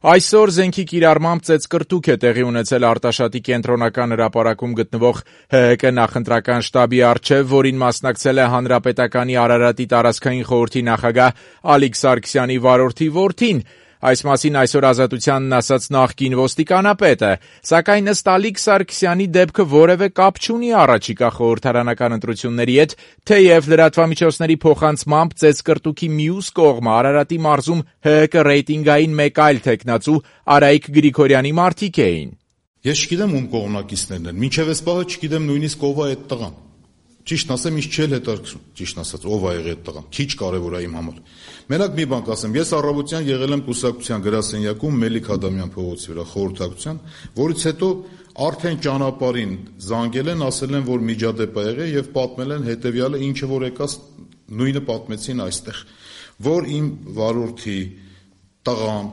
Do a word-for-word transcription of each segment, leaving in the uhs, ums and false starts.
Այսօր զենքի կիրառմամբ ծեծկռտուք է տեղի ունեցել Արտաշատի կենտրոնական հրապարակում գտնվող Հ Հ Կ նախընտրական շտաբի առջև, որին մասնակցել է Հանրապետականի Արարատի տարածքային խորհրդի նախագահ Ալիկ Սարգսյանի վարորդի որդին։ Այս մասին այսօր Ազատությանն ասաց նախկին ոստիկանապետը, սակայն ըստ Ալիկ Սարգսյանի դեպքը որևէ կապ չունի առաջիկա խորհրդարանական ընտրությունների հետ, թեև լրատվամիջոցների փոխանցմամբ ծեծկռտուքի մյուս կողմը Արարատի մարզում Հ Հ Կ ռեյտինգային մեկ այլ թեկնածու Արայիկ Գրիգորյանի մարդիկ էին։ Ես չգիտեմ ում կողմնակիցներն են, մինչև այս պահը չգիտեմ նույնիսկ ով է այդ տղան։ Ճիշտ ասեմ, ինձ չի հետաքրքրում, ճիշտ ասած, ով է եղել այդ տղան, քիչ կարևոր է իմ համար։ Մենակ մի բան կասեմ, ես առավոտյան եղել եմ կուսակցության գրասենյակում Մելիք Ադամյան փողոցի վրա խորհրդակցության, որից հետո արդեն ճանապարհին զանգել են, ասել են, որ միջադեպ է եղել եւ պատմել են հետեւյալը, ինչը որ եկած նույնը պատմեցին այստեղ, որ իմ վարորդի տղան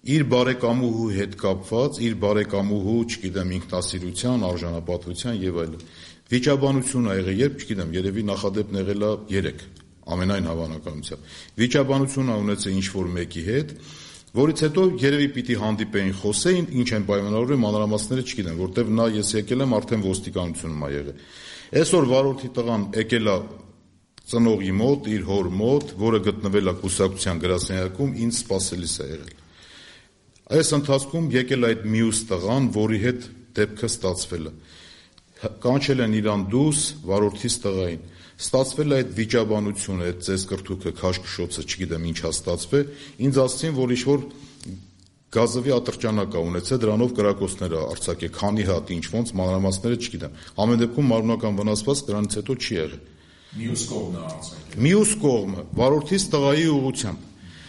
իր բարեկամուհու հետ կապված, իր բարեկամուհու, չգիտեմ, ինքնասիրության, արժանապատվության եւ այլն վիճաբանություն ա եղել, երբ չգիտեմ, երևի նախադեպն եղել է երեք, ամենայն հավանականությամբ։ Վիճաբանություն ա ունեցել ինչ-որ մեկի հետ, որից հետո երևի պիտի հանդիպեին, խոսեին, ինչ են պայմանավորվում, մանրամասները չգիտեմ, որտեվ նա ես եկել եմ արդեն ոստիկանությունում ա եղել։ Այսօր վարորդի տղան եկել է ծնողի մոտ, իր հոր մոտ, որը գտնվել է կուսակցության գրասենյակում, ինձ սպասելիս է եղել։ Այս ընթացքում եկել է այդ մյուս տղան, որի հետ դեպքը ստացվել է։ Կանչել են իրան դուրս վարորդիս տղային, ստացվել է այդ վիճաբանությունը, այդ ծեծկռտուքը, քաշքշոցը, չգիտեմ ինչ է ստացվել, ինձ ասացին, որ ինչ-որ գազովի ատրճանակ է ունեցել, դրանով կրակոցներ է արձակել, քանի հատ, ինչ ոնց, մանրամասները չգիտեմ։ Ամեն դեպքում մարմնական վնասված դրանից հետո չի եղել։ Մյուս կողմն է արձակել։ Մյուս կողմը, վարորդիս տղայի ուղղությամբ,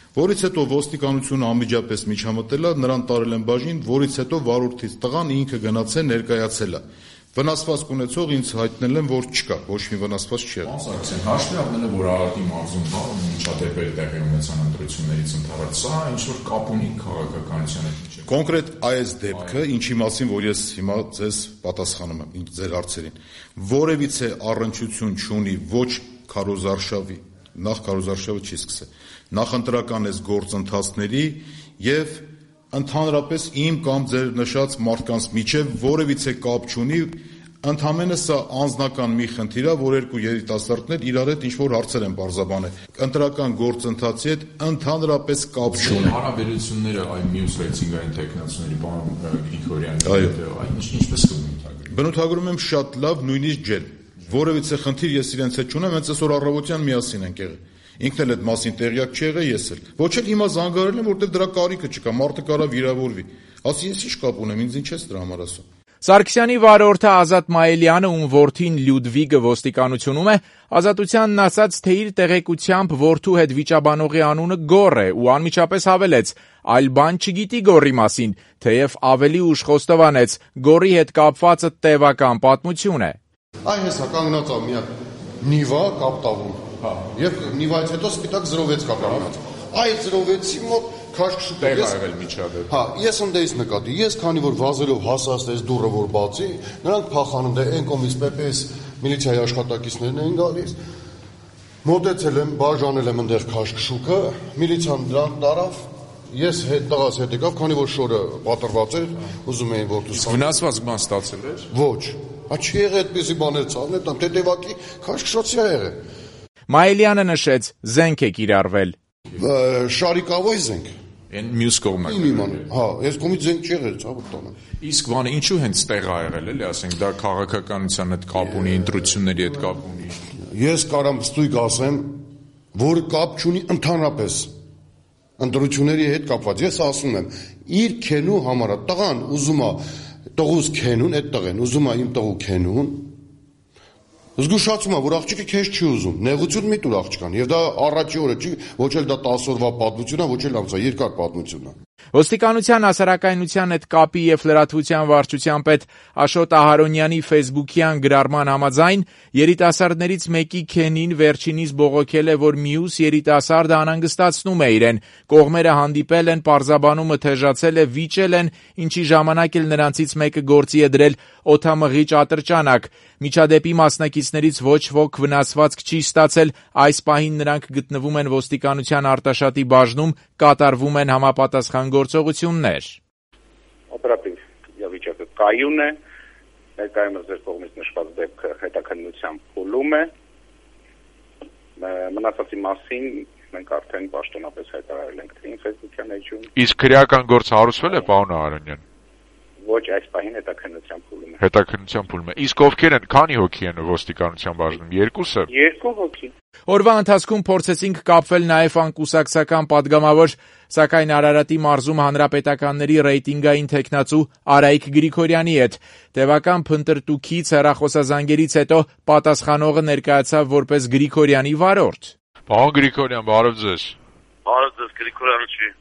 որից հետո ոստիկանությունը անմիջապես միջամտել է, նրան տարել են բաժին, որից հետո վարորդից տղան ինքը գնացել ներկայացել է։ Վնասված կունեցող ինձ հայտնել են, որ չկա, ոչ մի վնասված չի եղել։ Սարգսյան, հաշվի առնել է, որ Արարատի մարզում հա միջադեպեր տեղի ունեցան ընտրություններից ընդհանրապես, սա ինչ-որ կապ ունի քաղաքականության հետ, չէ՞։ Կոնկրետ այս դեպքը, ինչի մասին, որ ես հիմա ձեզ պատասխանում եմ ձեր հարցերին, որևիցե առնչություն չունի ոչ քարոզարշավի, նախ քարոզարշավը չի սկսել, նախընտրական այս գործընթացների եւ ընդհանրապես իմ կամ ձեր նշած մարդկանց միջև որևիցե կապ չունի, ընդհանրապես սա անձնական մի խնդիր է, որ երկու երիտասարդներ իրար հետ ինչ-որ հարցեր են պարզաբանել։ Ընտրական գործընթացի հետ ընդհանրապես կապ չունի։ Հարաբերությունները այ մյուս ռեյտինգային տեխնացիների բան Գրիգորյանի հետ այն ինչպես կբնութագրվի։ Բնութագրում եմ շատ լավ, նույնիսկ ջերմ։ Որևիցե խնդիր ես իրենց հետ չունեմ, հենց այսօր առավոտյան միասին ենք եղել։ Ինքն էլ այդ մասին տեղյակ չի եղել, ես էլ։ Ոչ էլ հիմա զանգարել եմ, որտեղ դրա կարիքը չկա, մարդը կարա վիրավորվի։ Ասի ես ինչ կապ ունեմ, ինձ ինչ ես դրա համար ասում։ Սարգսյանի վարորդը Ազատ Մայիլյանը, ում որդին Լյուդվիգը ոստիկանությունում է, Ազատությանն ասաց, թե իր տեղեկությամբ որդու հետ վիճաբանողի անունը Գոռ է ու անմիջապես հավելեց. այլ բան չգիտի Գոռի մասին, թեև ավելի ուշ խոստովանեց, Գոռի հետ կապվածը տևական պատմություն է։ Այ հեսա կանգնած ա մի հատ Նիվա կապտավում։ Հա, եւ Նիվայից հետո սպիտակ զրովեց կա կանգնած։ Այ զրովեցի մոտ քաշքշուկ է եղել միջադեպ։ Հա, ես ընդեից նկատի, ես քանի որ վազելով հասած դուրը որ բացի, նրանք փախանում դե այն կողմից Պ Պ Ս միլիցիայի աշխատակիցներն են գալիս։ Մոտեցել եմ, բաժանել եմ այնտեղ քաշքշուկը, միլիցիան դրան տարավ, ես հետ տղաս հետ եկավ, քանի որ շորը պատրված էր, ուզում էին որ դուս։ Վնասված բան ստացել էր։ Ոչ։ Ա չի եղել այդպեսի բաներ ցավներ, տամ տետևակի քաշքշոցի ա եղել։ Մայիլյանը նշեց, զենք է կիրառվել։ Շարիկավոյ զենք։ Այն մյուս կողմը։ Հա, այս կողմից զենք չի եղել, ցավոք տանը։ Իսկ բանը ինչու հենց տեղ ա եղել, էլի, ասենք դա քաղաքականության հետ կապ ունի, ընտրությունների հետ կապ ունի։ Ես կարամ ստույգ ասեմ, որ կապ չունի ընդհանրապես ընտրությունների հետ կապված։ Ես ասում եմ, իր քենու համար տղան ուզում է տղուս քենուն, այդ տղեն ուզում է իմ տղու քենուն։ Զգուշացում է, որ աղջիկը քեզ չի ուզում, նեղություն մի տուր աղջկան, եւ դա առաջի օրը չի, ոչ էլ դա տասը օրվա պատմություն է, ոչ էլ ամսա երկար պատմություն է։ Ոստիկանության հասարակայնության հետ կապի եւ լրատվության վարչության պետ Աշոտ Ահարոնյանի ֆեյսբուքյան գրառման համաձայն երիտասարդներից մեկի քենին վերջինիս բողոքել է, որ մյուս երիտասարդը անհանգստացնում է իրեն։ Կողմերը հանդիպել են, պարզաբանումը թեժացել է, վիճել են, ինչի ժամանակ էլ նրանցից մեկը գործի է դրել օդամղիչ ատրճանակ։ Միջադեպի մասնակիցներից ոչ ոք վնասվածք չի ստացել, այս պահին նրանք գտնվում են ոստիկանության Արտաշատի բաժնում, կատարվում են համապատասխան քրեական գործողություններ։ Օպերատիվ իրավիճակը կայուն է, ներկայումս ձեր կողմից նշված դեպքը հետաքննության փուլում է, մնացածի մասին մենք արդեն պաշտոնապես հայտարարել ենք թե ինֆեկցիան էջում։ Իսկ քրեական գործ հարուցվել է, պարոն Արանյան։ Ոչ, այս պահին հետաքննության փուլում է։ Հետաքննության փուլում է։ Իսկ ովքեր են, քանի հոգի են ոստիկանության բաժնում, երկուսը։ Երկու հոգի։ Օրվա ընթացքում փորձեցինք կապվել նաև անկուսակցական падգամավոր, սակայն Արարատի մարզում հանրապետականների ռեյտինգային թեկնածու Արայիկ Գրիգորյանի հետ։ Տևական փնտրտուքից հեռախոսազանգերից հետո պատասխանողը ներկայացավ որպես Գրիգորյանի վարորդ։ Պարոն Գրիգորյան, բարև ձեզ։ Բարև ձեզ, Գրիգորյանը չի։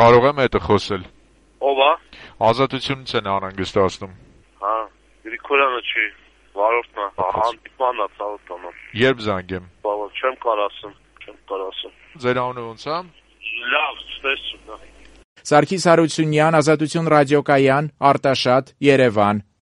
Կարող եմ հետը խոսել։ Ո՞վ է։ Ազատությունից են անհանգստացնում։ Հա, Գրիգորյանը չի, վարորդն է, հանդիպմանն է ցավոտանա։ Երբ զանգեմ։ Բավարար, չեմ կարող ասեմ, չեմ կարող ասեմ։ Ձեր անունը ո՞նց է։ Լավ, ստեսություն։ Սարգիս Հարությունյան, Ազատություն ռադիոկայան, Արտաշատ, Երևան։